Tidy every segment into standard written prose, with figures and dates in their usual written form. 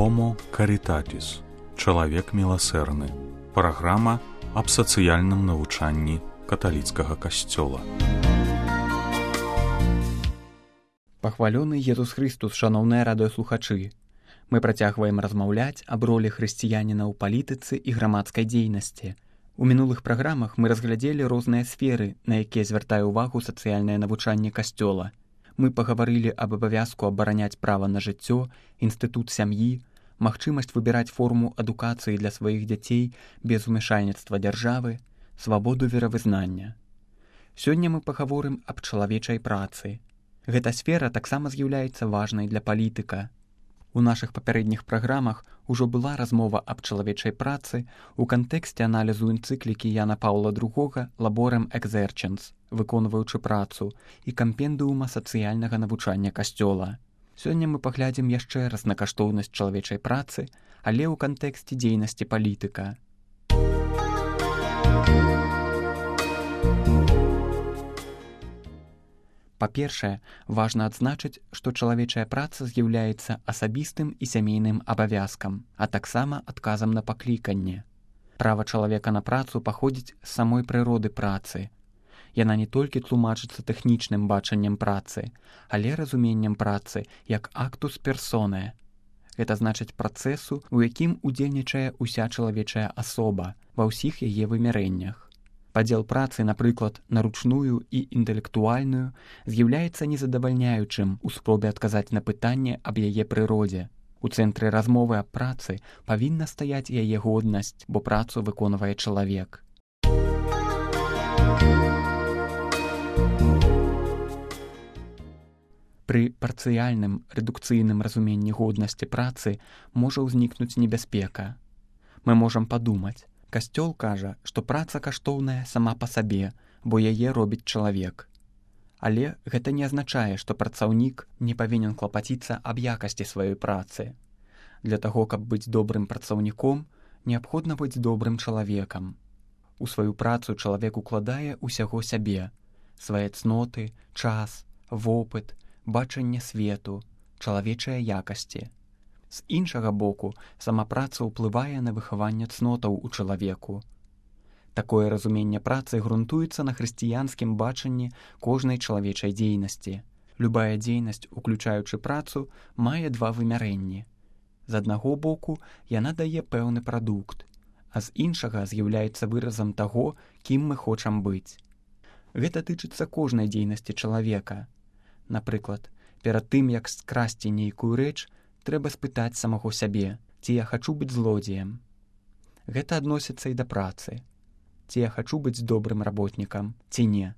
Homo Caritatis. Чалавек міласэрны. Праграма аб сацыяльным навучанні каталіцкага касцёла. Пахвалёны Езус Христус, шаноўныя радыёслухачы. Мы працягваем размаўляць аб ролі хрысціяніна ў палітыцы і грамадскай дзейнасці. У мінулых праграмах мы разглядзелі розныя сферы, на якія звяртае ўвагу сацыяльнае навучанне касцёла. Мы пагаварылі аб абавязку абараняць права на жыццё, інстытут сям'і, магчымасць выбіраць форму адукацыі для сваіх дзяцей без умяшальніцтва дзяржавы, свабоду веравызнання. Сёння мы пагаворым аб чалавечай працы. Гэта сфера таксама з'яўляецца важнай для палітыка. У нашых папярэдніх праграмах ужо была размова аб чалавечай працы ў кантэксце аналізу энцыклікі Яна Паўла II «Laborem Exercens», выконваючы працу, і кампендыума сацыяльнага навучання касцёла. Сёння мы паглядзім яшчэ раз на каштоўнасць чалавечай працы, але ў кантэксце дзейнасці палітыка. Па-першае, важна адзначыць, што чалавечая праца з'яўляецца асабістым і сямейным абавязкам, а таксама адказам на пакліканне. Права чалавека на працу паходзіць з самой прыроды працы. Яна не толькі тлумачыцца тэхнічным бачаннем працы, але разуменнем працы як актус персоне. Гэта значыць працэсу, у якім удзельнічае ўся чалавечая асоба ва ўсіх яе вымярэннях. Падзел працы, напрыклад, на ручную і інтэлектуальную, з'яўляецца незадавальняючым у спробе адказаць на пытанне аб яе прыродзе. У цэнтры размовы аб працы павінна стаяць яе годнасць, бо працу выконвае чалавек. Пры парцыяльным рэдукцыйным разуменні годнасці працы можа ўзнікнуць небяспека. Мы можам падумаць, касцёл кажа, што праца каштоўная сама па сабе, бо яе робіць чалавек. Але гэта не азначае, што працаўнік не павінен клапаціцца аб якасці сваёй працы. Для таго, каб быць добрым працаўніком, неабходна быць добрым чалавекам. У сваю працу чалавек укладае ўсяго сябе, свае цноты, час, вопыт, бачанне свету, чалавечыя якасці. З іншага боку, сама праца ўплывае на выхаванне цнотаў у чалавеку. Такое разуменне працы грунтуецца на хрысціянскім бачанні кожнай чалавечай дзейнасці. Любая дзейнасць, уключаючы працу, мае два вымярэнні. З аднаго боку, яна дае пэўны прадукт, а з іншага з'яўляецца выразам таго, кім мы хочам быць. Гэта тычыцца кожнай дзейнасці чалавека. Напрыклад, перад тым, як скрасці нейкую рэч, трэба спытаць самого сябе, ці я хачу быць злодзеем. Гэта адносіцца і да працы. Ці я хачу быць добрым работнікам, ці не.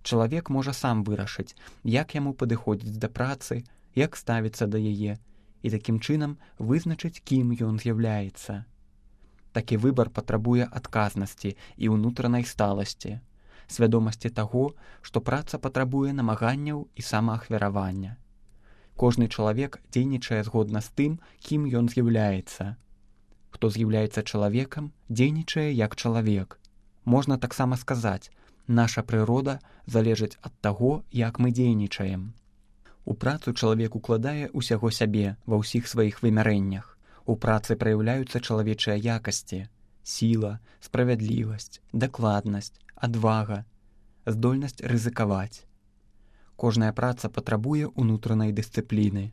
Чалавек можа сам вырашыць, як яму падыходзіць да працы, як ставіцца да яе, і такім чынам вызначыць, кім ён з'яўляецца. Такі выбар патрабуе адказнасці і ўнутранай сталасці, свядомасці таго, што праца патрабуе намаганняў і самаахвяравання. Кожны чалавек дзейнічае згодна з тым, кім ён з'яўляецца. Хто з'яўляецца чалавекам, дзейнічае як чалавек. Можна таксама сказаць, наша прырода залежыць ад таго, як мы дзейнічаем. У працу чалавек укладае ўсяго сябе ва ўсіх сваіх вымярэннях. У працы праяўляюцца чалавечыя якасці, сіла, справядлівасць, дакладнасць, адвага, здольнасць рызыкаваць. Кожная праца патрабуе ўнутранай дысцыпліны.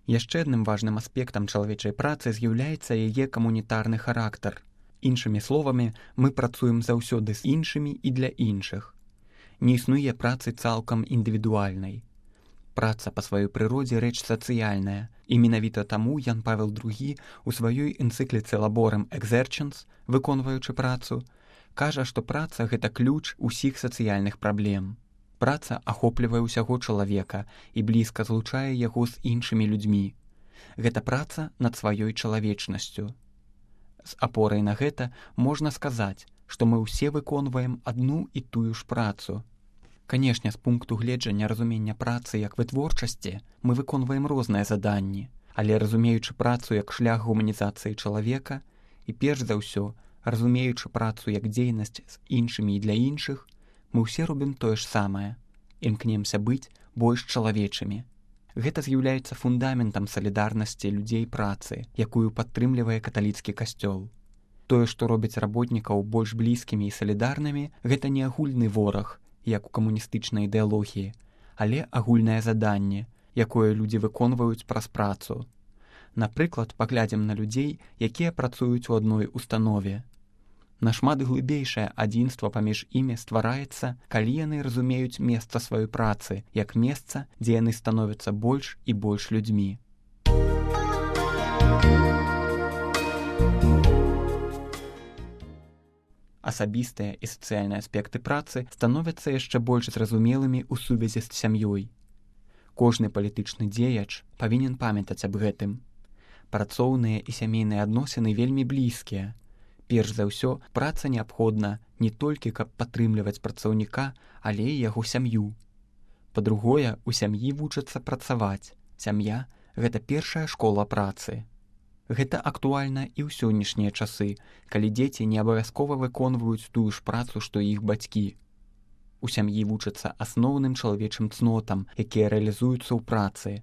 Яшчэ адным важным аспектам чалавечай працы з'яўляецца яе камунітарны характар. Іншымі словамі, мы працуем заўсёды з іншымі і для іншых. Не існуе працы цалкам індывідуальнай. Праца па сваёй прыродзе рэч сацыяльная, і менавіта таму Ян Павел II у сваёй энцыкліцы «Laborem Exercens», выконваючы працу, кажа, што праца – гэта ключ усіх сацыяльных праблем. Праца ахоплівае ўсяго чалавека і блізка злучае яго з іншымі людзьмі. Гэта праца над сваёй чалавечнасцю. З апорай на гэта можна сказаць, што мы ўсе выконваем адну і тую ж працу. Канешне, з пункту гледжання разумення працы як вытворчасці мы выконваем розныя заданні, але разумеючы працу як шлях гуманізацыі чалавека і перш за ўсё, разумеючы працу як дзейнасць з іншымі і для іншых, мы ўсе робім тое ж самае, імкнемся быць больш чалавечымі. Гэта з'яўляецца фундаментам салідарнасці людзей працы, якую падтрымлівае каталіцкі касцёл. Тое, што робіць работнікаў больш блізкімі і салідарнымі, гэта не агульны вораг, як у камуністычнай ідэалогіі, але агульнае заданне, якое людзі выконваюць праз працу. Напрыклад, паглядзім на людзей, якія працуюць у адной установе. Нашмат глыбейшае адзінства паміж імі ствараецца, калі яны разумеюць месца сваёй працы, як месца, дзе яны становяцца больш і больш людзьмі. Асабістыя і сацыяльныя аспекты працы становяцца яшчэ больш зразумелымі ў сувязі з сям'ёй. Кожны палітычны дзеяч павінен памятаць аб гэтым. Працоўныя і сямейныя адносіны вельмі блізкія. Перш за ўсё, праца неабходна не толькі, каб падтрымліваць працаўніка, але і яго сям'ю. Па-другое, у сям'і вучацца працаваць. Сям'я – гэта першая школа працы. Гэта актуальна і ў сённяшнія часы, калі дзеці не абавязкова выконваюць тую ж працу, што іх бацькі. У сям'і вучацца асноўным чалавечым цнотам, якія рэалізуюцца ў працы.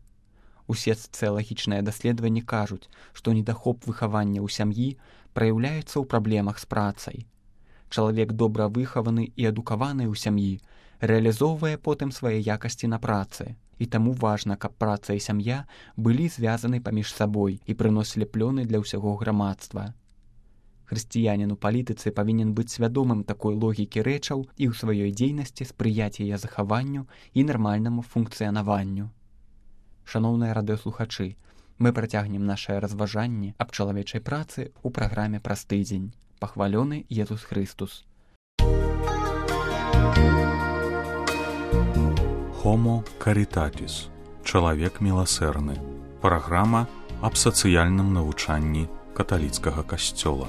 Усе сацыялагічныя даследаванні кажуць, што недахоп выхавання ў сям'і праяўляецца ў праблемах з працай. Чалавек добра выхаваны і адукаваны ў сям'і рэалізоўвае потым свае якасці на працы. І таму важна, каб праца і сям'я былі звязаны паміж сабой і прыносілі плёны для ўсяго грамадства. Хрысціянін у палітыцы павінен быць свядомым такой логікі рэчаў і ў сваёй дзейнасці спрыяць яе захаванню і нармальнаму функцыянаванню. Шаноўныя радыёслухачы, мы працягнем нашае разважанне аб чалавечай працы ў праграме «Праз тыдзень». Пахвалёны Езус Хрыстус. Homo Caritatis. Чалавек міласэрны. Праграма аб сацыяльным навучанні каталіцкага касцёла.